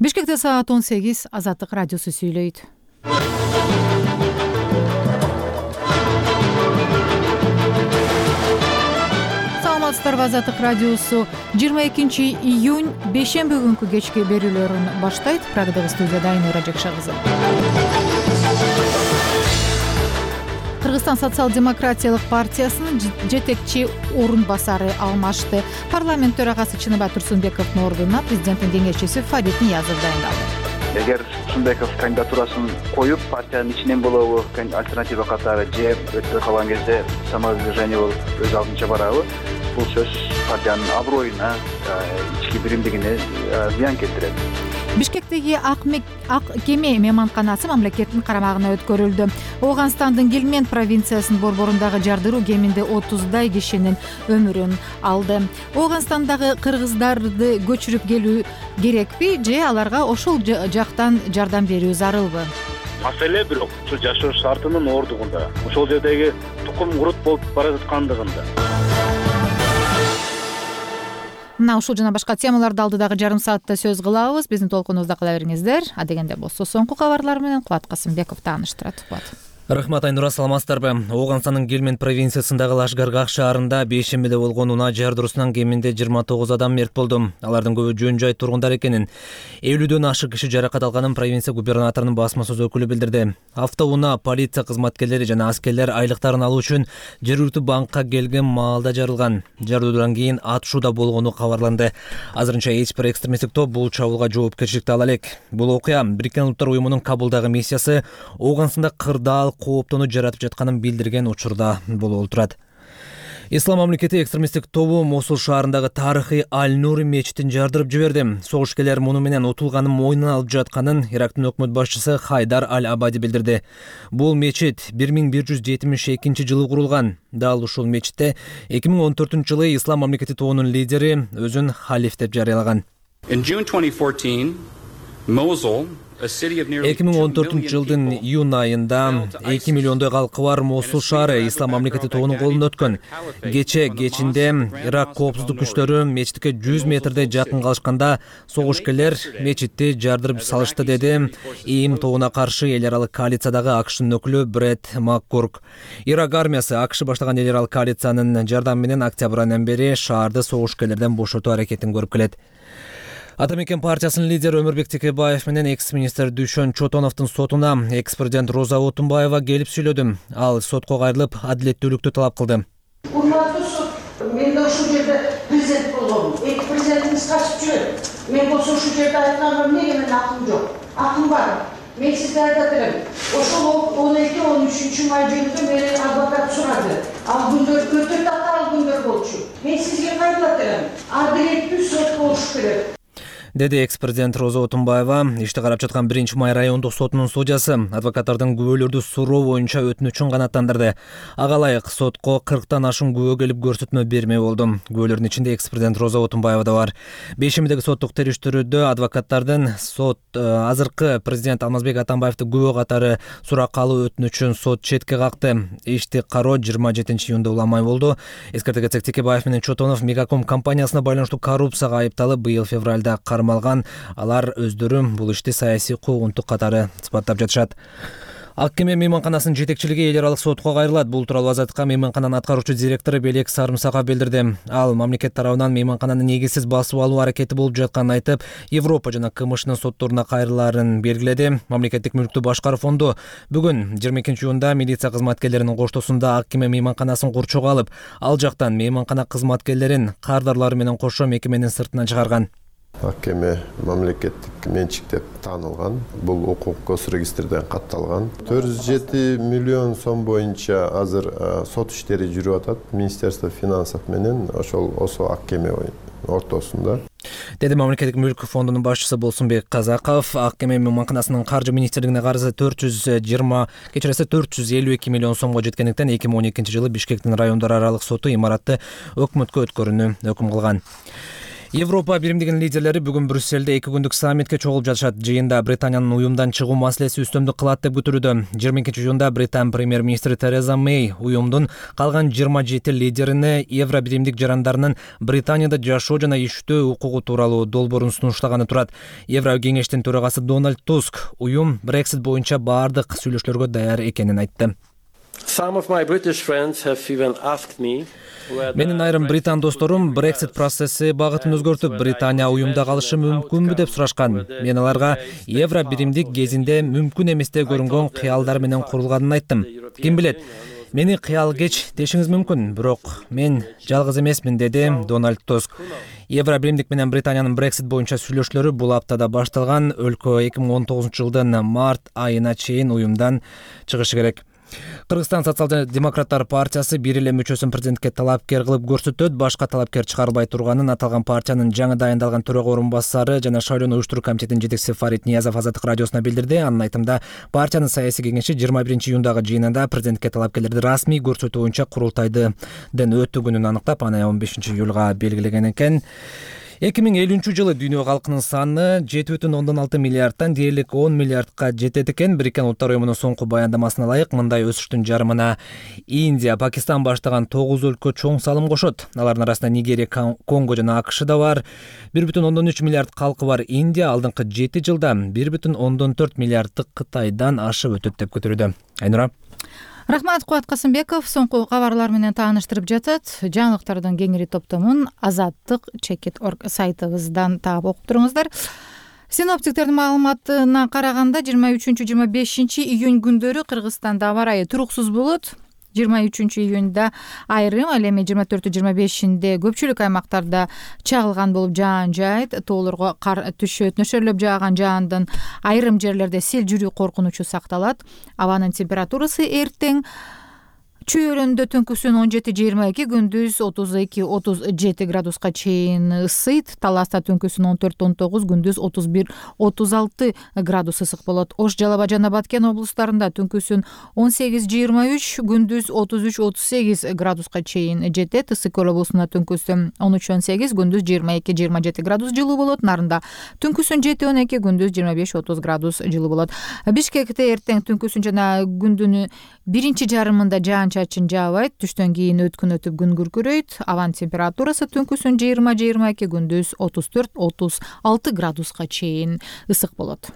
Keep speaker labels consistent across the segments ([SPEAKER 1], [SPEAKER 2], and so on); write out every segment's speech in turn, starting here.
[SPEAKER 1] Бишкекте саат 18 Азаттык радиосу сүйлөйт. Саламатсыздарбы, Азаттык радиосу 22 июнь бейшемби күнкү кечки берүүлөрүн баштайт. Прагдагы студияда Айнура Жакша кызы. Кыргызстан социал-демократиялык партиясынын жетекчи орун басары алмашты. Парламент төрагасы Чыныбай Турсунбековдун ордуна президенттин кеңешчиси Фарид Ниязов дайындалды.
[SPEAKER 2] Эгер Турсунбеков кандидатурасын коюп, партиянын ичинен болобу, альтернатива катары же өтпөй калган кезде самовыдвижение болуп өз алдынча барабы, бул сөз партиянын аброюна, ички биримдигине зыян келтирет.
[SPEAKER 1] Бишкектеги ак кеме мейманканасы мамлекеттин карамагына өткөрүлдү. Ооганстандын Гелмент провинциясынын борборундагы жардыруу кеминде 30дай кишинин өмүрүн алды. Ооганстандагы кыргыздарды көчүрүп келүү керекпи же аларга ошол жактан жардам берүү зарылбы?
[SPEAKER 3] Маселе бирок ушул жашоо шартынын ордугунда, ошол жердеги тукум курут болуп бара жаткандыгында.
[SPEAKER 1] Мына ушул жана башка темаларды алдыдагы жарым саатта сөз кылабыз. Биздин толкунубузда кала бериңиздер. Адегенде болсо соңку кабарлар менен Кубат Касымбеков тааныштырат.
[SPEAKER 4] Рахмат, Айнура, саламатсыздарбы? Ооганстандын Гелмент провинциясындагы Лашгаргах шаарында бейшембиде болгон унаа жардыруусунан кеминде 29 адам мерт болду. Алардын көбү жөн жай тургундар экенин, 50дөн ашык киши жаракат алганын провинция губернаторунун басма сөз өкүлү билдирди. Автоунаа полиция кызматкерлери жана аскерлер айлыктарын алуу үчүн жергиликтүү банкка келген маалда жарылган. Жардыруудан кийин атышуу болгону кабарланды. Азырынча эч бир экстремисттик топ бул чабуулга жоопкерчиликти ала элек. Бул окуя Бириккен Улуттар уюмунун Кабулдагы миссиясы Ооганстанда кырдаал кооптону жаратып жатканын билдирген учурда болуп турат. Ислам мамлекети экстремисттик тобу Мосул шаарындагы тарыхый Аль-Нури мечитин жардырып жиберди. Согушкерлер муну менен утулганын мойнуна алып жатканын Ирактын өкмөт башчысы Хайдар Аль-Абади билдирди. Бул мечит 1172 жылы курулган. Дал ушул мечитте 2014-жылы Ислам мамлекети тобунун лидери өзүн халиф деп жарыялаган. 2014-жылдын июнь айында 2 миллиондой калкы бар Мосул шаары Ислам мамлекети тобунун колуна өткөн. Кечинде Ирак коопсуздук күчтөрү мечитке 100 метрдей жакын калышканда согушкерлер мечитти жардырып салышты, деди ИИМ тобуна каршы эл аралык коалициядагы АКШнын өкүлү Брэд Маккурк. Ирак армиясы АКШ баштаган эл аралык коалициянын жардамы менен октябрь айынан бери шаарды согушкерлерден бошотуу аракетин көрүп келет. Ата мекен партиясынын лидери Өмүрбек Текебаев менен экс-министр Дүйшөн Чотоновдун сотуна экс-президент Роза Отунбаева келип сүйлөдү. Ал сотко кайрылып, адилеттүүлүктү талап кылды.
[SPEAKER 5] Урматтуу сот, мен да ушул жерде президент болгом. Эки президентиңиз качып жүрөт. Мен болсо ушул жерде айтканга эмнеге менин акым жок? Акым бар. Мен сизге айтат элем. Ошол 12-13 май жөнүндө мени адвокат сурады. Ал күндөр өтө татаал күндөр болчу. Мен сизге кайрылат элем. Адилеттүү сот болуш керек,
[SPEAKER 4] деди экс-президент Роза Отунбаева. Ишти карап жаткан 1-май райондук сотунун судьясы адвокаттардын күбөлөрдү суроо боюнча өтүнүчүн канааттандырды. Ага ылайык сотко 40тан ашуун күбө келип көрсөтмө бермей болду. Күбөлөрдүн ичинде экс-президент Роза Отунбаева да бар. Бейшембидеги соттук териштирүүдө адвокаттардын азыркы президент Алмазбек Атамбаевди күбө катары суракка алуу өтүнүчүн сот четке какты. Ишти кароо 27-июнда уламай болду. Эскерте кетсек, Текебаев менен Чотонов Мегаком компаниясына байланыштуу коррупцияга айыпталып, быйыл февралда кармалган. Алар өздөрү бул ишти саясий куугунтук катары сыпаттап жатышат. Ак кеме мейманканасынын жетекчилиги эл аралык сотко кайрылат. Бул тууралуу Азаттыкка мейманкананын аткаруучу директору Белек Сарымсаков билдирди. Ал мамлекет тарабынан мейманкананы негизсиз басып алуу аракети болуп жатканын айтып, Европа жана КМШнын сотторуна кайрылаарын белгиледи. Мамлекеттик мүлктү башкаруу фонду бүгүн 22-июнда милиция кызматкерлеринин коштоосунда ак кеме мейманканасын курчоого алып, ал жактан мейманкана кызматкерлерин кардарлары менен кошо мекеменин сыртынан чыгарган.
[SPEAKER 6] Ак кеме мамлекеттик менчик деп таанылган. Бул укук госрегистрден катталган. 407 миллион сом боюнча азыр сот иштери жүрүп атат. Министерство финансов менен ошол ак кеме ортосунда.
[SPEAKER 4] Деди мамлекеттик мүлк фондунун башчысы Болсунбек Казаков. Ак кеме мейманканасынын каржы министрлигине карызы 452 миллион сомго жеткендиктен 2012-жылы Бишкектин райондор аралык соту имаратты өкмөткө өткөрүүнү өкүм кылган. Европа биримдигинин лидерлери бүгүн Брюссельде 2 күндүк саммитке чогулуп жатышат. Жыйында Британиянын уюмдан чыгуу маселеси үстөмдүк кылат деп күтүлүүдө. 22-июнда Британ премьер-министри Тереза Мэй уюмдун калган 27 лидерине евро биримдик жарандарынын Британияда жашоо жана иштөө укугу тууралуу долбоорун сунуштаганы турат. Евро кеңештин төрагасы Дональд Туск уюм Brexit боюнча баардык сүйлөшүүлөргө даяр экенин айтты. Менин айрым британ досторум Brexit процесси багытын өзгөртүп, Британия уюмда калышы мүмкүнбү деп сурашкан. Мен аларга евро биримдик кезинде мүмкүн эмес деп көрүнгөн кыялдар менен курулганын айттым. Ким билет, мени кыял кеч дешиңиз мүмкүн, бирок мен жалгыз эмесмин, деди Дональд Туск. Евро биримдик менен Британиянын Brexit боюнча сүйлөшүүлөрү бул аптада башталган. Өлкө 2019-жылдын март айына чейин уюмдан чыгышы керек. Кыргызстан социал-демократтар партиясы бир эле мүчөсүн президентке талапкер кылып көрсөтөт. Башка талапкер чыгарылбай турганын аталган партиянын жаңы дайындалган төрага орун басары жана шайлоону уюштуруу комитетинин жетекчиси Фарид Ниязов Азаттык радиосуна билдирди. Анын айтымында, партиянын саясий кеңеши 21-июндагы жыйынында президентке талапкерлерди расмий көрсөтүү боюнча курултайдын өтүүгүнүн аныктап, аны 15-июлга белгилеген экен. 2050-жылы дүйнө калкынын саны 7,6 миллиардтан дээрлик 10 миллиардка жетет экен. Бириккен Улуттар уюмунун соңку баяндамасына ылайык, мындай өсүштүн жарымына Индия, Пакистан баштаган 9 өлкө чоң салым кошот. Алардын арасында Нигерия, Конго жана АКШ да бар. 1,3 миллиард калкы бар Индия алдыңкы 7 жылда 1,4 миллиарддык Кытайдан ашып өтөт деп күтүлүүдө. Айнура.
[SPEAKER 1] Рахмат, Кубат Касымбеков соңку кабарлар менен тааныштырып жатат. Жаңылыктардын кеңири топтомун Азаттык Чекит.org сайтыбыздан таап окуп туруңуздар. Синоптиктердин маалыматына караганда 23-25 июнь күндөрү Кыргызстанда аба ырайы туруксуз болот. 23-июнда айрым, ал эми 24-25-inde көпчүлүк аймактарда чагылган болуп жаан жайт, тоолорго кар түшөт. Нөшөрлөп жааган жаандын айрым жерлерде сел жүрүү коркунучу сакталат. Абанын температурасы эртең чөйрөндө түнкүсүн 17-22, күндүз 32-37 градуска чейин ысыйт. Таласта түнкүсүн 14-19, күндүз 31-36 градус ысык болот. Ош, Жалал Абад жана Баткен облустарында түнкүсүн 18-23, күндүз 33-38 градуска чейин жетет. Ысык Көл облусунда түнкүсүн 13-18, күндүз 22-27 градус жылуу болот. Нарында түнкүсүн 7-12, күндүз 25-30 градус жылуу болот. Бишкекте эртең түнкүсүн жана күндүн биринчи жарымында жаан-чачын жаабайт. Түштөн кийин өткүн өтүп күн күркүрөйт. Абанын температурасы түнкүсүн 20-22, күндүз 34-36 градуска чейин ысык болот.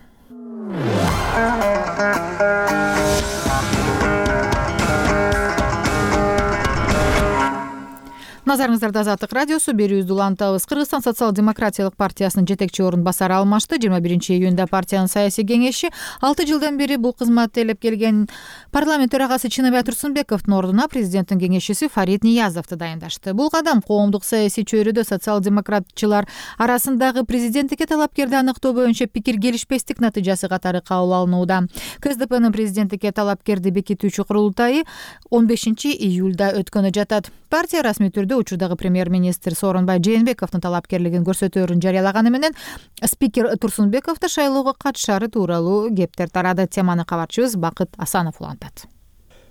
[SPEAKER 1] Назарыңыздарда Азаттык радиосу, берүүбүздү улантабыз. Кыргызстан социал-демократиялык партиясынын жетекчи орун басары алмашты. 21-июнда партиянын саясий кеңеши 6 жылдан бери бул кызматты ээлеп келген парламент төрагасы Чыныбай Турсунбековдун ордуна президенттин кеңешчиси Фарид Ниязовду дайындашты. Бул кадам коомдук саясий чөйрөдө социал-демократчылар арасындагы президенттикке талапкерди аныктоо боюнча пикир келишпестик натыйжасы катары кабыл алынууда. КСДПнын президенттикке талапкерди бекитүүчү курултайы 15-июлда өткөнү жатат. Партия расмий түрдө учурдагы премьер-министр Сооронбай Жээнбековдун талапкерлигин көрсөтөөрүн жарыялаганы менен спикер Турсунбековду шайлоого катышаары тууралуу кептер тарады. Теманы кабарчыбыз Бакыт Асанов улантат.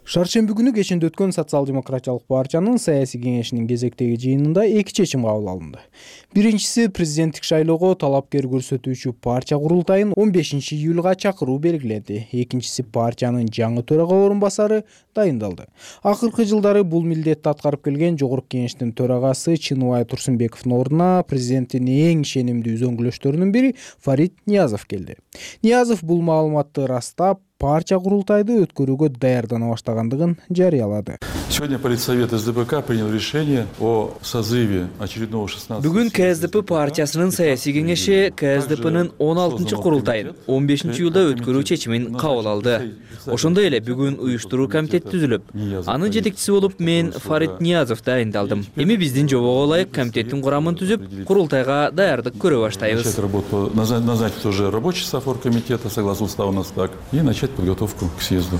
[SPEAKER 7] Шаршемби күнү кечинде өткөн социал-демократиялык партиянын саясий кеңешинин кезектеги жыйынында 2 чечим кабыл алынды. Биринчиси, президенттик шайлоого талапкер көрсөтүүчү партия курултайын 15-июлга чакыруу белгиленди. Экинчиси, партиянын жаңы төрага орун басары дайындалды. Акыркы жылдары бул милдетти аткарып келген жогорку кеңештин төрагасы Чыныбай Турсунбековдун ордуна президенттин эң ишенимдүү үзөңгүлөштөрүнүн бири Фарид Ниязов келди. Ниязов бул маалыматты растап, партия курултайды өткөрүүгө даярдана баштагандыгын жарыялады.
[SPEAKER 8] Сегодня Политсовет СДПК принял решение о созыве очередного 16-го.
[SPEAKER 9] Бүгүн КСДП партиясынын саясий кеңеши КСДПнын 16-чы курултайын 15-июлда өткөрүү чечимин кабыл алды. Ошондой эле бүгүн уюштуруу комитети түзүлүп, анын жетекчиси болуп мен Фарид Ниязов дайындалдым. Эми биздин жобого ылайык комитеттин курамын түзүп, курултайга даярдык көрө баштайбыз.
[SPEAKER 8] Начать работу, назначить уже рабочий состав комитета, согласно уставу у нас так, и начать подготовку к съезду.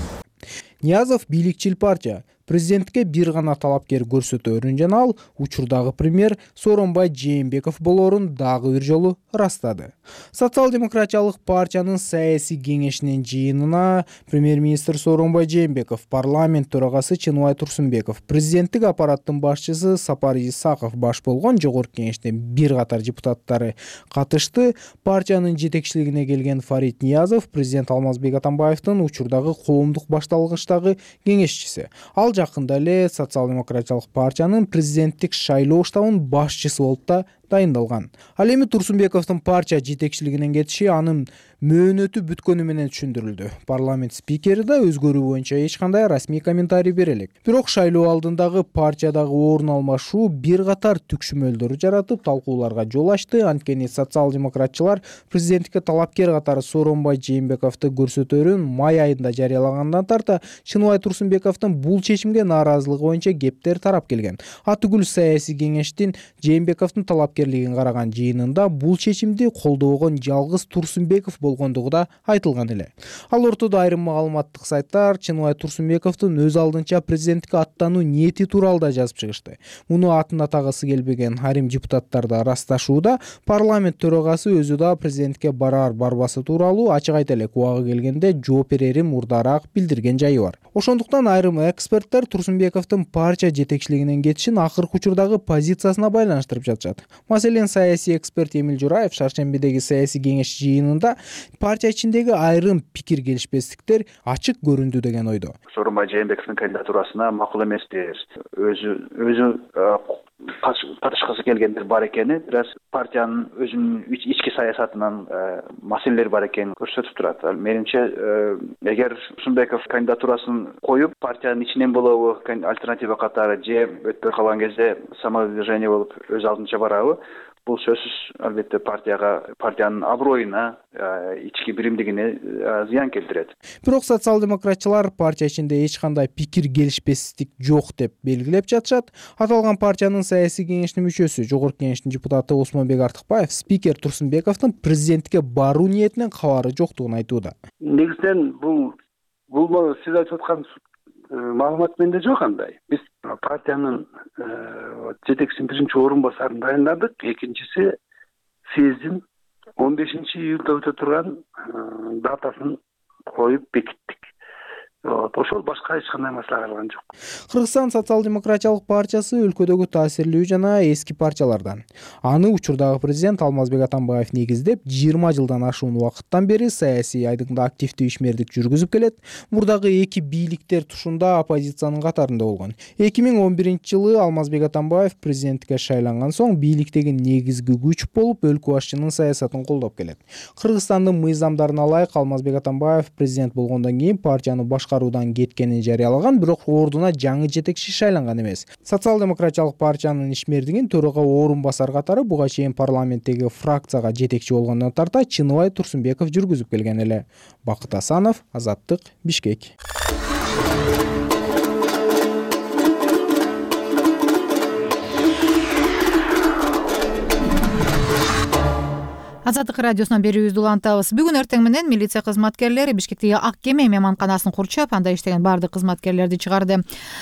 [SPEAKER 7] Ниязов бийликчил партия. президентке бир гана талапкер көрсөтөөрүн жана ал учурдагы премьер Сооронбай Жээнбеков болоорун дагы бир жолу ырастады. Социал-демократиялык партиянын саясий кеңешинин жыйынына премьер-министр Сооронбай Жээнбеков, парламент төрагасы Чыныбай Турсунбеков, президенттик аппараттын башчысы Сапар Исаков баш болгон жогорку кеңештин бир катар депутаттары катышты. Партиянын жетекчилигине келген Фарид Ниязов президент Алмазбек Атамбаевдин учурдагы коомдук башталгычтагы кеңешчиси. Ал жакында эле социал-демократиялык партиянын президенттик шайлоо штабынын башчысы болуп да дайындалган. Ал эми Турсунбековдун партия жетекчилигинен кетиши анын мөөнөтү бүткөнү менен түшүндүрүлдү. Парламент спикери да өзгөрүү боюнча эч кандай расмий комментарий бере элек. Бирок шайлоо алдындагы партиядагы орун алмашуу бир катар түкшүмөлдөр жаратып, талкууларга жол ачты. Анткени социал-демократчылар президенттикке талапкер катары Сооронбай Жээнбековду көрсөтөөрүн май айында жарыялагандан тарта Чыныбай Турсунбековдун бул чечимге нааразылыгы боюнча кептер тарап келген. Атүгүл саясий кеңештин Жээнбековдун талапкерлигин караган жыйынында бул чечимди колдобогон жалгыз Турсунбеков болгондугу да айтылган эле. Ал ортодо айрым маалыматтык сайттар Чыныбай Турсунбековдун өз алдынча президенттикке аттануу ниети тууралуу жазып чыгышты. Муну атын атагысы келбеген айрым депутаттар да ырасташууда. Парламент төрагасы өзү да президентке барар барбасы тууралуу ачык айта элек, убагы келгенде жооп берерин мурдараак билдирген жайы бар. Ошондуктан айрым эксперттер Турсунбековдун партия жетекчилигинен кетишин акыркы учурдагы позициясына байланыштырып жатышат. Маселен, саясий эксперт Эмил Жураев шаршембидеги саясий кеңеш жыйынында партия ичиндеги айрым пикир келишпестиктер ачык көрүндү деген ойдо.
[SPEAKER 2] Сооронбай Жээнбековдун кандидатурасына макул эмеспиз. Өзү катышкысы келгендер бар экени, бирок партиянын өзүнүн ички саясатынан маселелер бар экенин көрсөтүп турат. Менимче, эгер Турсунбеков кандидатурасын коюп, партиянын ичинен болобу, альтернатива катары же өтпөй калган кезде самовыдвижение болуп өз алдынча барабы, бул сөзсүз албетте партиянын аброюна, ички биримдигине зыян келтирет.
[SPEAKER 7] Бирок социал-демократчылар партия ичинде эч кандай пикир келишпестик жок деп белгилеп жатышат. Аталган партиянын саясий кеңешинин мүчөсү, жогорку кеңештин депутаты Осмонбек Артыкбаев спикер Турсунбековдун президентке баруу ниетинен кабары жоктугун айтууда.
[SPEAKER 10] Негизинен бул сиз айтып аткан маалымат менде жок андай. Биз партиянын жетекчисинин биринчи орун басарын дайындадык. Экинчиси съездин 15-июлда өтө турган датасын коюп бекиттик. Ошол башка эч кандай маселе калган жок.
[SPEAKER 7] Кыргызстан социал-демократиялык партиясы өлкөдөгү таасирлүү жана эски партиялардан. Аны учурдагы президент Алмазбек Атамбаев негиздеп, 20 жылдан ашуун убакыттан бери саясий айдыңда активдүү ишмердик жүргүзүп келет. Мурдагы эки бийликтер тушунда оппозициянын катарында болгон. 2011-жылы Алмазбек Атамбаев президенттикке шайланган соң бийликтеги негизги күч болуп, өлкө башчынын саясатын колдоп келет. Кыргызстандын мыйзамдарына ылайык Алмазбек Атамбаев президент болгондон кийин партияны башкаруудан кеткенин жарыялаган, бирок ордуна жаңы жетекчи шайланган эмес. Социал-демократиялык партиянын ишмердигин төрага орун басар катары буга чейин парламенттеги фракцияга жетекчи болгондон тарта Чыныбай Турсунбеков жүргүзүп келген эле. Бакыт Асанов, Азаттык, Бишкек.
[SPEAKER 1] Азаттык радиосунан берүүбүздү улантабыз. Бүгүн эртең менен милиция кызматкерлери Бишкектеги Ак кеме мейманканасын курчап, анда иштеген бардык кызматкерлерди чыгарды.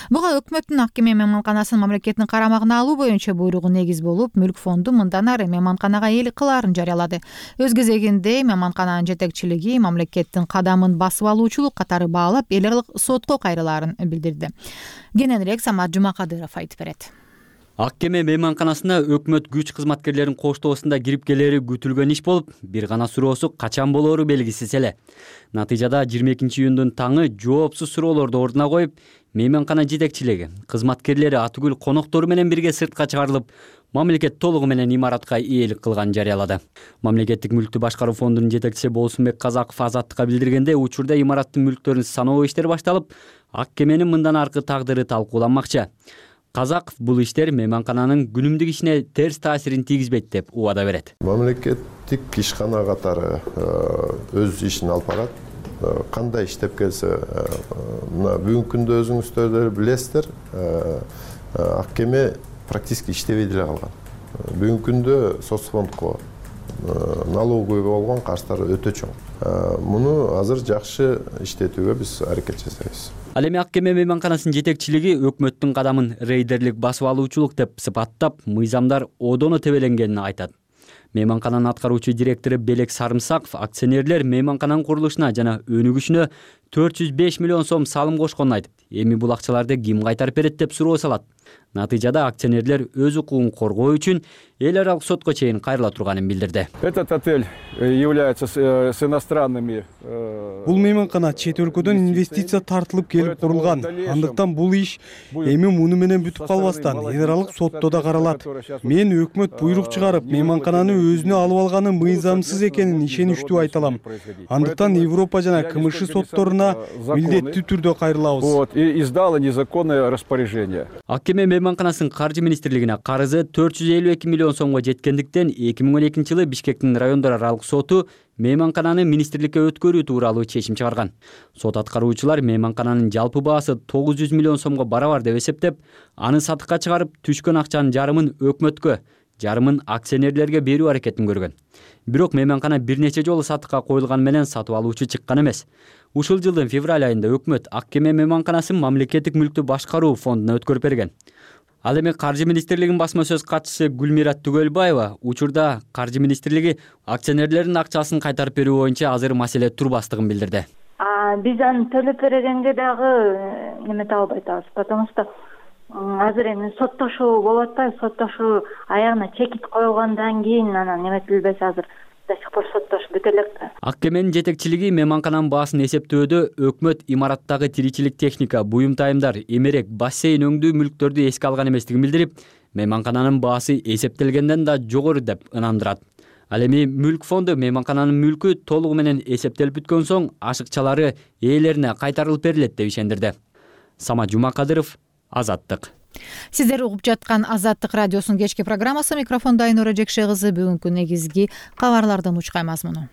[SPEAKER 1] Буга өкмөттүн Ак кеме мейманканасын мамлекеттин карамагына алуу боюнча буйругу негиз болуп, Мүлк фонду мындан ары мейманканага ээлик кылаарын жарыялады. Өз кезегинде мейманкананын жетекчилиги мамлекеттин кадамын басып алуучулук катары баалап, эл аралык сотко кайрылаарын билдирди. Кененирээк Самат Жумакадыров айтып берет.
[SPEAKER 11] Ак кеме мейманканасына өкмөт күч кызматкерлерин коштоосунда кирип келери күтүлгөн иш болуп, бир гана суроосу качан болоору белгисиз эле. Натыйжада 22-июндун таңы жоопсуз суроолорду ордуна коюп, мейманкана жетекчилиги, кызматкерлери атүгүл коноктору менен бирге сыртка чыгарылып, мамлекет толугу менен имаратка ээлик кылганын жарыялады. Мамлекеттик мүлктү башкаруу фондунун жетекчиси Болсунбек Казаков Азаттыкка билдиргенде, учурда имараттын мүлктөрүн саноо иштери башталып, Ак кеменин мындан аркы тагдыры талкууланмакчы. Казаков бул иштер мейманкананын күнүмдүк ишине терс таасирин тийгизбейт деп убада берет.
[SPEAKER 6] Мамлекеттик ишкана катары өз ишин алып барат. Кандай иштеп келсе, мына бүгүнкү күндө өзүңүздөр билесиздер, Ак кеме практически иштебей деле калган. Бүгүнкү күндө соцфондко налоговый болгон карыздары өтө чоң. Муну азыр жакшы иштетүүгө биз аракет жасайбыз.
[SPEAKER 11] Ал эми Ак кеме мейманканасынын жетекчилиги өкмөттүн кадамын рейдерлик басып алуучулук деп сыпаттап, мыйзамдар одоно тебеленгенин айтат. Мейманкананын аткаруучу директору Белек Сарымсаков акционерлер мейманкананын курулушуна жана өнүгүшүнө 405 миллион сом салым кошконун айтып, эми бул акчаларды ким кайтарып берет деп суроо салат. Натыйжада акционерлер өз укугун коргоо үчүн эл аралык сотко чейин кайрыла турганын билдирди.
[SPEAKER 12] Этот отель является с иностранными.
[SPEAKER 7] Бул мейманкана чет өлкөдөн инвестиция тартылып келип курулган. Андыктан бул иш эми муну менен бүтүп калбастан эл аралык сотто да каралат. Мен өкмөт буйрук чыгарып, мейманкананы өзүнө алып алганы мыйзамсыз экенин ишеничтүү айта алам. Андыктан Европа жана КМШ сотторуна милдеттүү түрдө кайрылабыз.
[SPEAKER 12] Вот, и издала незаконное распоряжение.
[SPEAKER 11] Ак кеме мейманканасынын каржы министрлигине карызы 452 миллион сомго жеткендиктен 2012 жылы Бишкектин райондор аралык соту мейманкананы министрликке өткөрүү тууралуу чечим чыгарган. Сот аткаруучулар мейманкананын жалпы баасы 900 миллион сомго барабар деп эсептеп, аны сатыкка чыгарып, түшкөн акчанын жарымын өкмөткө, жарымын акционерлерге берүү аракетин көргөн. Бирок мейманкана бир нече жолу сатыкка коюлган менен сатып алуучу чыккан эмес. Ушул жылдын февраль айында өкмөт Ак кеме мейманканасын мамлекеттик мүлктү башкаруу фондуна өткөрүп берген. Ал эми Каржы министрлигинин басма сөз катчысы Гүлмират Түгөлбаева учурда Каржы министрлиги акционерлердин акчасын кайтарып берүү боюнча азыр маселе турбастыгын билдирди.
[SPEAKER 13] Биз аны төлөп бергенге дагы немете албай атабыз, потому что азыр эми соттошуу болуп атпайбы, соттошуу аягына чекит коюлгандан кийин анан неметилбесе азыр до сих пор соттошуп бүтө элек да.
[SPEAKER 11] Ак кеменин жетекчилиги мейманкананын баасын эсептөөдө өкмөт имараттагы тиричилик техника, буюм тайымдар, эмерек, бассейн өңдүү мүлктөрдү эске алган эместигин билдирип, мейманкананын баасы эсептелгенден да жогору деп ынандырат. Ал эми мүлк фонду мейманкананын мүлкү толугу менен эсептелип бүткөн соң ашыкчалары ээлерине кайтарылып берилет деп ишендирди. Самат Жумакадыров, Азаттык.
[SPEAKER 1] Сиздер угуп жаткан Азаттык радиосунун кечки программасы. Микрофондо Айнура Жекше кызы. Бүгүнкү негизги кабарлардын учкай мазмуну.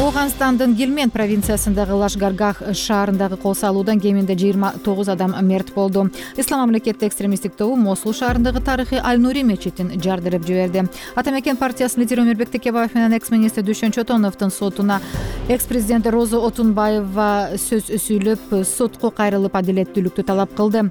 [SPEAKER 1] Ооганстандын Гилмен провинциясындагы Лашгаргах шаарындагы кол салуудан кеминде 29 адам мерт болду. Ислам мамлекети экстремисттик тобу Мосул шаарындагы тарыхый Аль-Нури мечитин жардырып жиберди. Атамекен партиясынын лидери Өмүрбек Текебаев менен экс-министр Дүйшөн Чотоновдун сотуна экс-президент Роза Отунбаева сөз сүйлөп, сотко кайрылып адилеттүүлүктү талап кылды.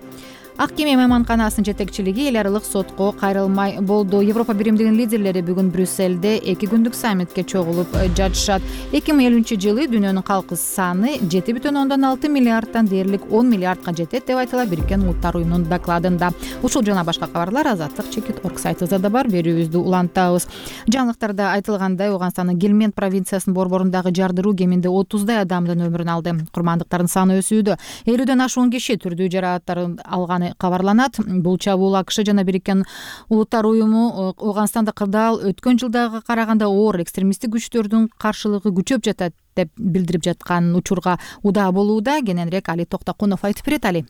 [SPEAKER 1] Ак кеме мейманканасынын жетекчилиги эл аралык сотко кайрылмай болду. Европа биримдигинин лидерлери бүгүн Брюссельде 2 күндүк саммитке чогулуп жатышат. 2050-жылы дүйнөнүн калкы саны 7,6 миллиардтан дээрлик 10 миллиардга жетет деп айтылат Бириккен Улуттар уюмунун докладында. Ушул жана башка кабарлар Азаттык.org сайтыбызда да бар, берүүбүздү улантабыз. Жаңылыктарда айтылгандай, Ооганстандын Гилмен провинциясынын борборундагы жардыруу кеминде 30дай адамдын өмүрүн алды. Курмандыктардын саны өсүүдө. 50ден ашуун киши түрдүү жарааттарын алганы кабарланат. Бул чабуул АКШ жана Бириккен Улуттар уюму Ооганстанда кырдаал өткөн жылдагы караганда оор экстремисттик күчтөрдүн каршылыгы күчөп жатат деп билдирип жаткан учурга удаа болууда. Кененирээк Али Токтокунов айтып берет. Али.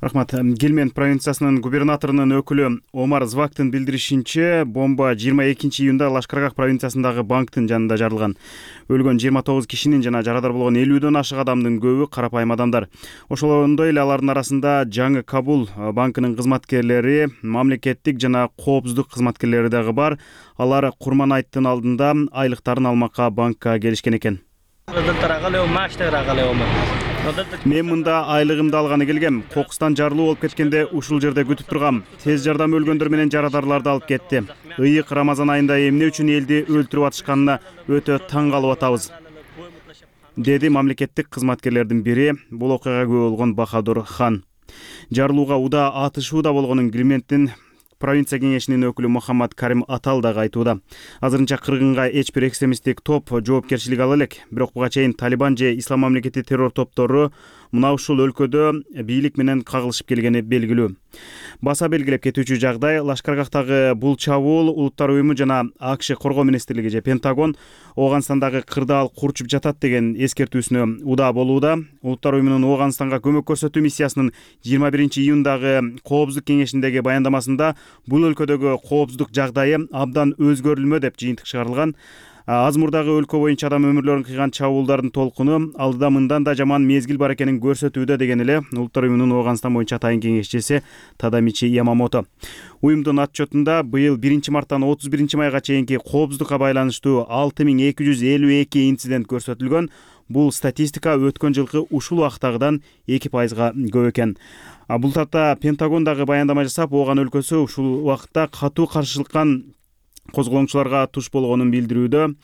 [SPEAKER 14] Рахмат. Гилмен провинциясынын губернаторунун өкүлү Омар Звактын билдиришинче, бомба 22-июнда Лашкаргах провинциясындагы банктын жанында жарылган. Өлгөн 29 кишинин жана жарадар болгон 50дөн ашык адамдын көбү карапайым адамдар. Ошондой эле алардын арасында Жаңы Кабул банкынын кызматкерлери, мамлекеттик жана коопсуздук кызматкерлери дагы бар. Алар Курман айттын алдында айлыктарын алмакка банкка келишкен экен. Мен мында айлыгымды алганы келгем. Кокустан жарылуу болуп кеткенде ушул жерде күтүп тургам. Тез жардам өлгөндөр менен жарадарларды алып кетти. Ыйык Рамазан айында эмне үчүн элди өлтүрүп атышканына өтө таң калып атабыз, деди мамлекеттик кызматкерлердин бири, бул окуяга күбө болгон Бахадур Хан. Жарылууга удаа атышуу да болгонун Гилмендин провинция кеңешинин өкүлү Мухаммад Карим Атал дагы айтууда. Азырынча кыргынга эч бир экстремисттик топ жоопкерчилик ала элек. Бирок буга чейин Талибан же Ислам мамлекети террор топтору мына ушул өлкөдө бийлик менен кагылышып келгени белгилүү. Баса белгилеп кетүүчү жагдай, Лашкаргахтагы бул чабуул Улуттар уюму жана АКШ коргоо министрлиги же Пентагон Ооганстандагы кырдаал курчуп жатат деген эскертүүсүнө удаа болууда. Улуттар уюмунун Ооганстанга көмөк көрсөтүү миссиясынын 21-июндагы коопсуздук кеңешиндеги баяндамасында бул өлкөдөгү коопсуздук жагдайы абдан өзгөрүлмө деп жыйынтык чыгарылган. Аз мурдагы өлкө боюнча адам өмүрлөрүн кыйган чабуулдардын толкуну алдыда мындан да жаман мезгил бар экенин көрсөтүүдө деген эле Улуттар уюмунун Ооганстан боюнча атайын кеңешчиси Тадамичи Ямамото. Уюмдун отчетунда быйыл 1 марттан 31 майга чейинки коопсуздукка байланыштуу 6252 инцидент көрсөтүлгөн. Бул статистика өткөн жылкы ушул убактагыдан 2%га көп экен. Бул татта Пентагон дагы баяндама жасап, Ооган өлкөсү ушул убакытта катуу каршылыкка козголоңчуларга туш болгонун билдирүүдө.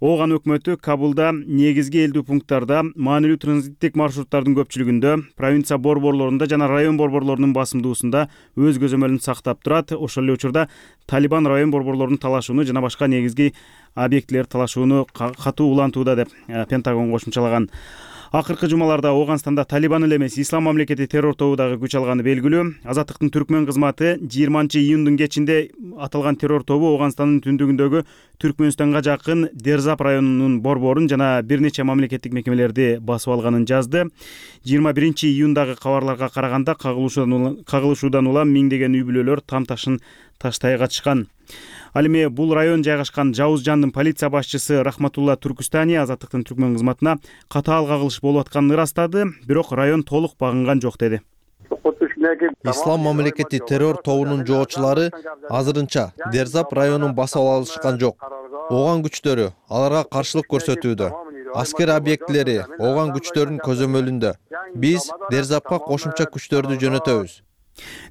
[SPEAKER 14] Ооган өкмөтү Кабулда негизги элдүү пункттарда, маанилүү транзиттик маршруттардын көпчүлүгүндө, провинция борборлорунда жана район борборлорунун басымдуусунда өз көзөмөлүн сактап турат. Ошол эле учурда Талибан район борборлорунун талашууну жана башка негизги объектилер талашууну катуу улантууда деп Пентагон кошумчалаган. Акыркы жумаларда Ооганстанда Талибан эле эмес Ислам мамлекети террор тобу дагы күч алганы белгилүү. Азаттыктын Түркмөн кызматы 20-июндун кечинде аталган террор тобу Ооганстандын түндүгүндөгү Түркмөнстанга жакын Дерзап районунун борборун жана бир нече мамлекеттик мекемелерди басып алганын жазды. 21-июндагы кабарларга караганда кагылышуудан улам миңдеген үй бүлөлөр там ташын таштай катышкан. Ал эми бул район жайгашкан Жауыз Жандын полиция башчысы Рахматулла Туркустани Азаттыктын Түркмөн кызматына катаал кагылыш болуп атканын ырастады, бирок район толук багынган жок деди.
[SPEAKER 15] Ислам мамлекети террор тобунун жоочулары азырынча Дерзап районун басып алышкан жок. Ооган күчтөрү аларга каршылык көрсөтүүдө. Аскер объектилери Ооган күчтөрүнүн көзөмөлүндө. Биз Дерзапка кошумча күчтөрдү жөнөтөбүз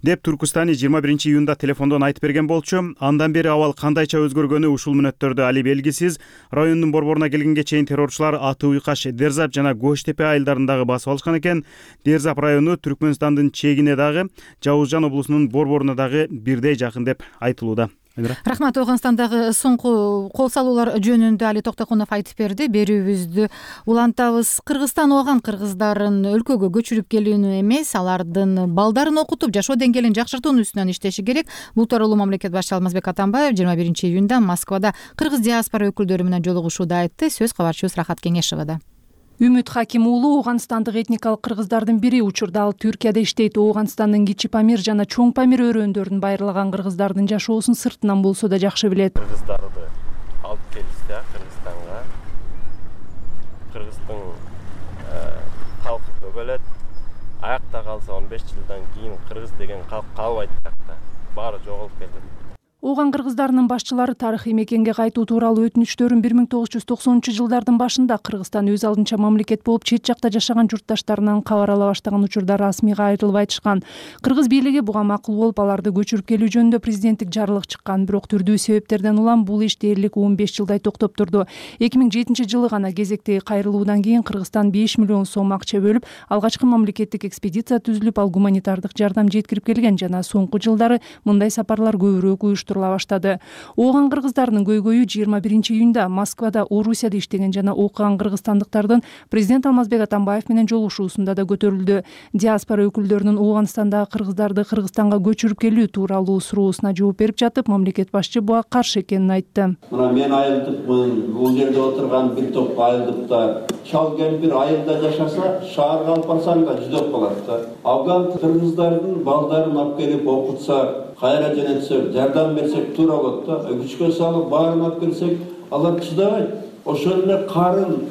[SPEAKER 14] деп Туркустани 21-июнда телефондон айтып берген болчу. Андан бери абал кандайча өзгөргөнү ушул мүнөттөрдө али белгисиз. Райондун борборуна келгенге чейин террорчулар Аты Уйкаш, Дерзап жана Көчтепе айылдарын дагы басып алышкан экен. Дерзап району Түркмөнстандын чегине дагы, Жауыз Жан облусунун борборуна дагы бирдей жакын деп айтылууда.
[SPEAKER 1] Рахмат. Ооганстандагы соңку кол салуулар жөнүндө Али Токтокунов айтып берди. Берүүбүздү улантабыз. Кыргызстан Ооган кыргыздарын өлкөгө көчүрүп келүүнү эмес, алардын балдарын окутуп, жашоо деңгээлин жакшыртуунун үстүнөн иштеши керек. Бул тууралуу мамлекет башчысы Алмазбек Атамбаев 21-июнда Москвада кыргыз диаспора өкүлдөрү менен жолугушууда айтты. Сөз кабарчыбыз Рахат Кеңешовада.
[SPEAKER 16] Үмүт Хаким уулу Ооганстандык этникалык кыргыздардын бири. Учурда ал Түркияда иштейт. Ооганстандын Кичи Памир жана Чоң Памир өрөөндөрүн байырлаган кыргыздардын жашоосун сыртынан болсо да жакшы билет.
[SPEAKER 17] Кыргыздарды алып келишти Кыргызстанга. Кыргыздын калкы көбөлөт. Аякта калса 15 жылдан кийин кыргыз деген калк калбайт аякта. Баары жоголуп кетет.
[SPEAKER 16] Ооган кыргыздарынын башчылары тарыхый мекенге кайтуу тууралуу өтүнүчтөрүн 1990-жылдардын башында Кыргызстан өз алдынча мамлекет болуп чет жакта жашаган журтташтарынан кабар ала баштаган учурда расмийга айрылып айтышкан. Кыргыз бийлиги буга макул болуп, аларды көчүрүп келүү жөнүндө президенттик жарлык чыккан. Бирок түрдүү себептерден улам бул иш дээрлик 15 жылдай токтоп турду. 2007-жылы гана кезектеги кайрылуудан кийин Кыргызстан 5 миллион сом акча бөлүп, алгачкы мамлекеттик экспедиция түзүлүп, ал гуманитардык жардам жеткирип келген жана соңку жылдары мындай сапарлар көбүрөөк баштады. Ооган кыргыздарынын көйгөйү 21-июнда Москвада Орусияда иштеген жана окуган кыргызстандыктардын президент Алмазбек Атамбаев менен жолугушуусунда да көтөрүлдү. Диаспора өкүлдөрүнүн Ооганстандагы кыргыздарды Кыргызстанга көчүрүп келүү тууралуу суроосуна жооп берип жатып, мамлекет башчы буга каршы экенин айтты.
[SPEAKER 18] Мына мен айылдыкмын, бул жерде отурган бир топ айылдыкта чал кемпир айылда жашаса, шаарга алып барсаң да жүдөп калат да. Афган кыргыздардын балдарын алып келип окутса, кайра жөнөтсөк, жардам берсек туура болот да. Күчкө салып баарын алып келсек, алар чыдабайт. Ошол эле карын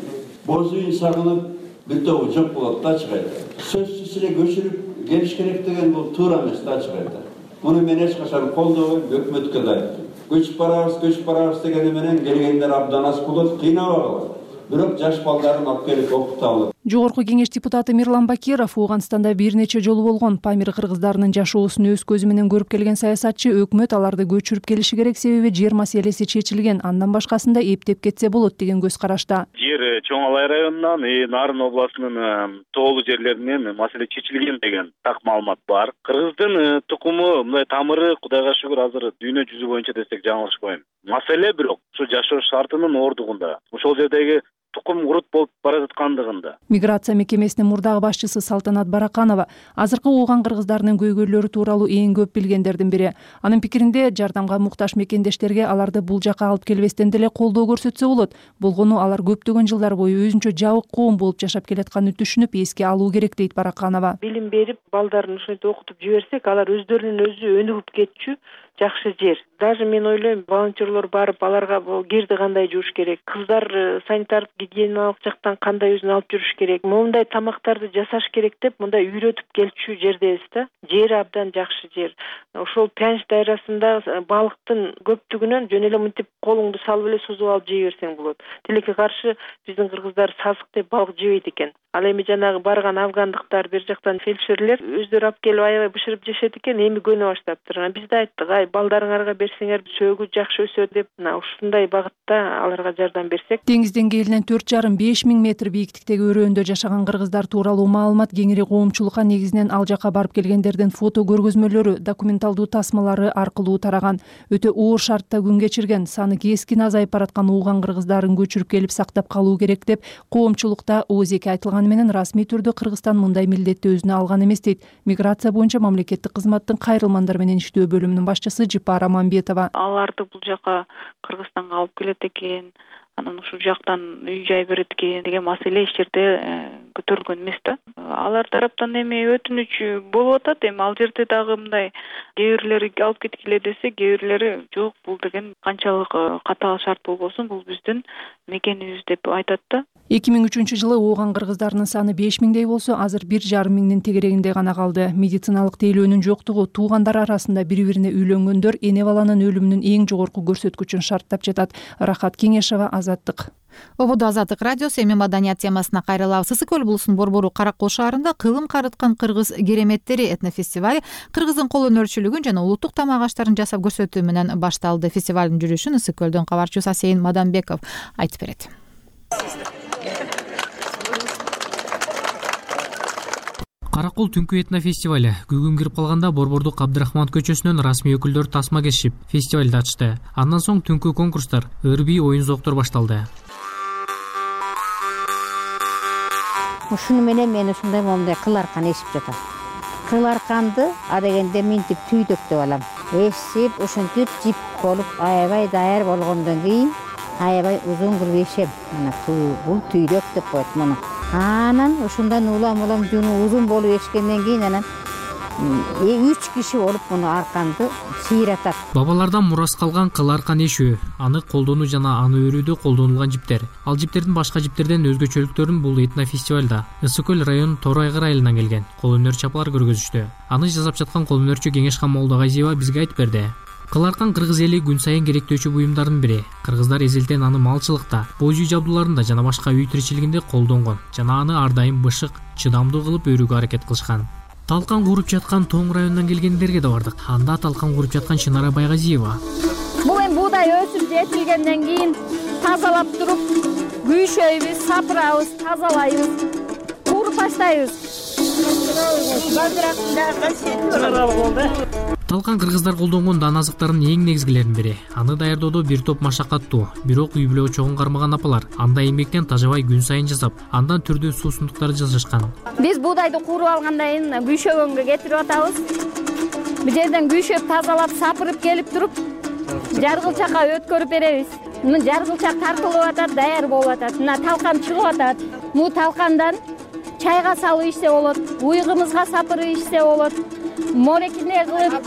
[SPEAKER 18] боз үй сагынып бир тобу жок болот да чыгайда. Сөзсүз эле көчүрүп келиш керек деген бул туура эмес да чыгайда. Муну мен эч качан колдобойм, өкмөткө да айттым. Көчүп барабыз дегени менен келгендер абдан аз болот, кыйнабагыла. Бирок жаш балдарын алып келип окуталы.
[SPEAKER 16] Жогорку кеңеш депутаты Мирлан Бакиров Ооганстанда бир нече жолу болгон. Памир кыргыздарынын жашоосун өз көзү менен көрүп келген саясатчы өкмөт аларды көчүрүп келиши керек, себеби жер маселеси чечилген, андан башкасында эптеп кетсе болот деген көз карашта.
[SPEAKER 3] Жер Чоң Алай районунан Нарын областынын тоолуу жерлеринен маселе чечилген деген так маалымат бар. Кыргыздын тукуму, мындай тамыры Кудайга шүгүр азыр дүйнө жүзү боюнча десек жаңылышпайм. Маселе бирок ушу жашоо шартынын ордугунда, ошол жердеги тукум курут болуп бара жаткандыгында.
[SPEAKER 16] Миграция мекемесинин мурдагы башчысы Салтанат Бараканова азыркы Ооган кыргыздарынын көйгөйлөрү тууралуу эң көп билгендердин бири. Анын пикиринде, жардамга муктаж мекендештерге аларды бул жака алып келбестен деле колдоо көрсөтсө болот. Болгону алар көптөгөн жылдар бою өзүнчө жабык коом болуп жашап келатканын түшүнүп, эске алуу керек дейт Бараканова.
[SPEAKER 19] Билим берип, балдарын ушинтип окутуп жиберсек, алар өздөрүнүн өзү өнүгүп кетчү, жакшы жер. Даже мен ойлойм, волонтерлор барып аларга бул кирди кандай жууш керек, кыздар санитардык гигиеналык жактан кандай өзүн алып жүрүш керек, моундай тамактарды жасаш керек деп мындай үйрөтүп келчү жердебиз да. Жери абдан жакшы жер. Ошол Пянч дайрасында балыктын көптүгүнөн жөн эле мынтип колуңду салып эле сузуп алып жей берсең болот. Тилекке каршы биздин кыргыздар сасык деп балык жебейт экен. Ал эми жанагы барган афгандыктар, бер жактан фельдшерлер өздөрү алып келип аябай бышырып жешет экен, эми көнө баштаптыр. Биз да айттык, балдарыңарга берсеңер сөөгү жакшы өсөт деп, ушундай багытта аларга жардам берсек.
[SPEAKER 16] Деңиз деңгээлинен 4,5–5 миң метр бийиктиктеги өрөөндө жашаган кыргыздар тууралуу маалымат кеңири коомчулукка негизинен ал жака барып келгендердин фото көргөзмөлөрү, документалдуу тасмалары аркылуу тараган. Өтө оор шартта күн кечирген, саны кескин азайып бараткан ууган кыргыздарын көчүрүп келип сактап калуу керек деп коомчулукта ооз-эки айтылганы менен расмий түрдө Кыргызстан мындай милдетти өзүнө алган эмес дейт миграция боюнча мамлекеттик кызматтын кайрылмандар менен иштөө бөлүмүнүн башчысы Жипара Мамбетова.
[SPEAKER 20] Аларды бул жака Кыргызстанга алып келет экен, анан ушул жактан үй жай берет экен деген маселе эч жерде көтөрүлгөн эмес да. Алар тараптан эми өтүнүч болуп атат. Эми ал жерде дагы мындай кээ бирлери алып кеткиле десе, кээ бирлери жок, бул деген канчалык катаал шарт болбосун, бул биздин мекенибиз деп айтат да.
[SPEAKER 16] 2003 жылы ооган кыргыздарынын саны 5 миңдей болсо, азыр 1,5 миңдин тегерегинде гана калды. Медициналык тейлөөнүн жоктугу туугандар арасында бири-бирине үйлөнгөндөр эне баланын өлүмүнүн эң жогорку көрсөткүчүн шарттап жатат. Рахат Кеңешева, Азаттык.
[SPEAKER 1] Ободо Азаттык радиосу. Эми маданият темасына кайрылабыз. Ысык көл булусунун Борбору Каракол шаарында кылым карыткан кыргыз кереметтери этнофестиваль кыргыздын кол өнөрчүлүгүн жана улуттук тамак аштарын жасап көрсөтүү менен башталды. Фестивалдын жүрүшүн Ысык көлдөн кабарчыбыз Асейин Мадамбеков айтып берет.
[SPEAKER 21] Каракол түнкү этнофестиваль күгүн кирип калганда Борбордук Абдрахман көчөсүнөн расмий өкүлдөр тасма кесип фестивалды ачты. Андан соң түнкү конкурстар, ыр-бий, оюн-зооктор башталды.
[SPEAKER 22] Ушуну менен мен ушундай момундай кыл аркан эшип жатам. Кыл арканды адегенде минтип түйдөктөп алам. Эшип, ушинтип жип болуп аябай даяр болгондон кийин аябай узун кылып эшем. Мына бул түйдөк деп коет муну. Анан ушундан улам жуну узун болуп эшкенден кийин анан 3 киши болуп муну арканды сыйратат.
[SPEAKER 21] Бабалардан мурас калган кыл аркан эшүү, аны колдонуу жана аны өрүүдө колдонулган жиптер. Ал жиптердин башка жиптерден өзгөчөлүктөрүн бул этнофестивалда Ысык көл районунун Тор Айгыр айылынан келген кол өнөрчү апалар көргөзүштү. Аны жасап жаткан кол өнөрчү Кеңешхан Молдогазиева бизге айтып берди. Кыл аркан кыргыз эли күн сайын керектөөчү буюмдардын бири. Кыргыздар эзелтен аны малчылыкта, боз үй жабдууларында жана башка үй тиричилигинде колдонгон жана аны ар дайым бышык, чыдамдуу кылып өрүүгө аракет кылышкан. Талкан куруп жаткан Тоң районунан келгендерге да бардык. Анда талкан куруп жаткан Чынара Байгазиева.
[SPEAKER 23] Бул эми буудай өсүп жетилгенден кийин тазалап туруп, күйшөйбүз, сапырабыз, тазалайбыз, куруп баштайбыз.
[SPEAKER 21] Талкан кыргыздар колдонгон дан азыктардын эң негизгилеринин бири. Аны даярдоодо бир топ машакаттуу, бирок үй бүлө чогун кармаган апалар анда эмгектен тажабай күн сайын жасап, андан түрдүү суусундуктарды жасашкан.
[SPEAKER 23] Биз буудайды кууруп алгандан кийин күйшөгөнгө кетирип атабыз. Бул жерден күйшөп, тазалап, сапырып келип туруп, жаргылчакка өткөрүп беребиз. Мына жаргылчак тартылып атат, даяр болуп атат. Мына талкан чыгып атат. Бул талкандан чайга салып ичсе болот, уйгумузга сапырып ичсе болот. Морекине кылып,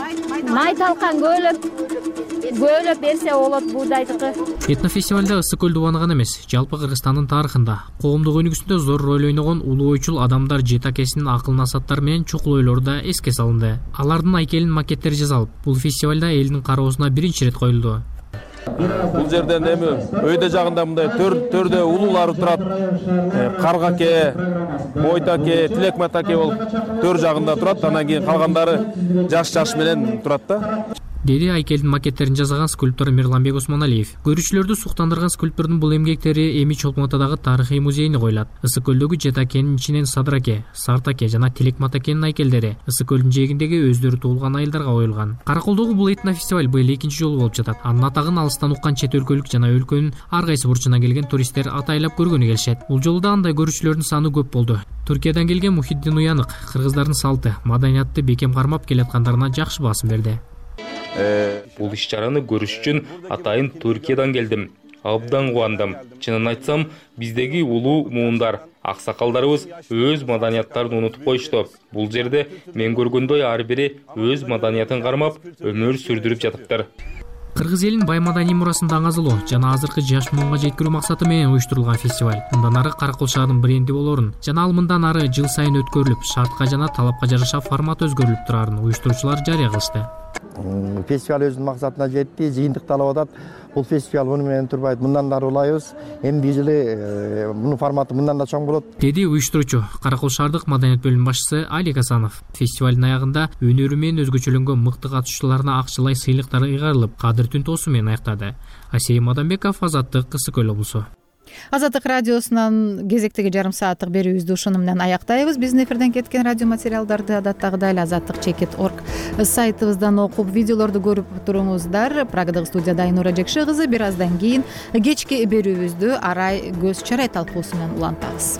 [SPEAKER 23] май талкан көөлөп берсе болот буудайдыкы.
[SPEAKER 21] Этнофестивалда Ысык көлдү убанаган эмес, жалпы Кыргызстандын тарыхында коомдук өнүгүүсүндө зор роль ойногон улуу ойчул адамдар жетакесинин акыл насаттары менен чукул ойлору да эске салынды. Алардын айкелин макеттери жасалып, бул фестивалда элдин кароосуна биринчи ирет коюлду.
[SPEAKER 24] Бул жерден эми өйдө жагында мындай төрдө улуулар турат. Каргаке, Мойтаке, Тилекматаке болуп төр жагында турат. Анан кийин калгандары жаш менен турат да.
[SPEAKER 21] Деди айкелдин макеттерин жасаган скульптор Мирланбек Осмоналиев. Көрүүчүлөрдү суктандырган скульптордун бул эмгектери эми Чолпон-Атадагы тарыхый музейине коюлат. Ысык көлдөгү Жетакенин ичинен Садыраке, Сартаке жана Тилекматакенин айкелдери Ысык көлдүн жээгиндеги өздөрү туулган айылдарга коюлган. Караколдогу бул этнофестиваль быйыл 2-нчи жолу болуп жатат. Анын атагын алыстан уккан чет өлкөлүк жана өлкөнүн ар кайсы бурчунан келген туристтер атайлап көргөнү келишет. Бул жолу да андай көрүүчүлөрдүн саны көп болду. Туркиядан келген Мухиддин Уянык кыргыздардын салты, маданиятты бекем кармап келаткандарына жакшы баасым берди.
[SPEAKER 25] Бул иш-чараны көрүш үчүн атайын Түркиядан келдим. Абдан кубандым. Чынын айтсам, биздеги улуу муундар аксакалдарыбыз өз маданияттарын унутуп коюшту. Бул жерде мен көргөндөй ар бири өз маданиятын кармап өмүр сүрдүрүп жатыптыр.
[SPEAKER 21] Кыргыз элинин бай маданий мурасын даңазалоо жана азыркы жаш муунга жеткирүү максаты менен уюштурулган фестиваль мындан ары Каракол шаарынын бренди болорун жана ал мындан ары жыл сайын өткөрүлүп, шартка жана талапка жараша формат өзгөрүлүп турарын уюштуруучулар жарыя кылышты.
[SPEAKER 2] Фестиваль өзүнүн максатына жетти, жыйынтыкталып атат. Бул фестиваль муну менен турбайт, мындан да улайбыз. Эмки жылы мунун форматы мындан да чоң болот,
[SPEAKER 21] деди уюштуруучу Каракол шаардык маданият бөлүмүнүн башчысы Алик Асанов. Фестивалдын аягында өнөрү менен өзгөчөлөнгөн мыкты катышуучуларына акчалай сыйлыктар ыйгарылып, кадыр түнтоосу менен аяктады. Асей Мадамбеков, Азаттык, Кызыл Көл облусу.
[SPEAKER 1] Азаттык радиосунан кезектеги жарым сааттык берүүбүздү ушуну менен аяктайбыз. Биздин эфирден кеткен радио материалдарды адаттагыдай эле azattik.org сайтыбыздан окуп, видеолорду көрүп туруңуздар. Прагадагы студияда Айнура Жекши кызы. Бир аздан кийин кечки берүүбүздү Арай Көз Чарай талкуусу менен улантабыз.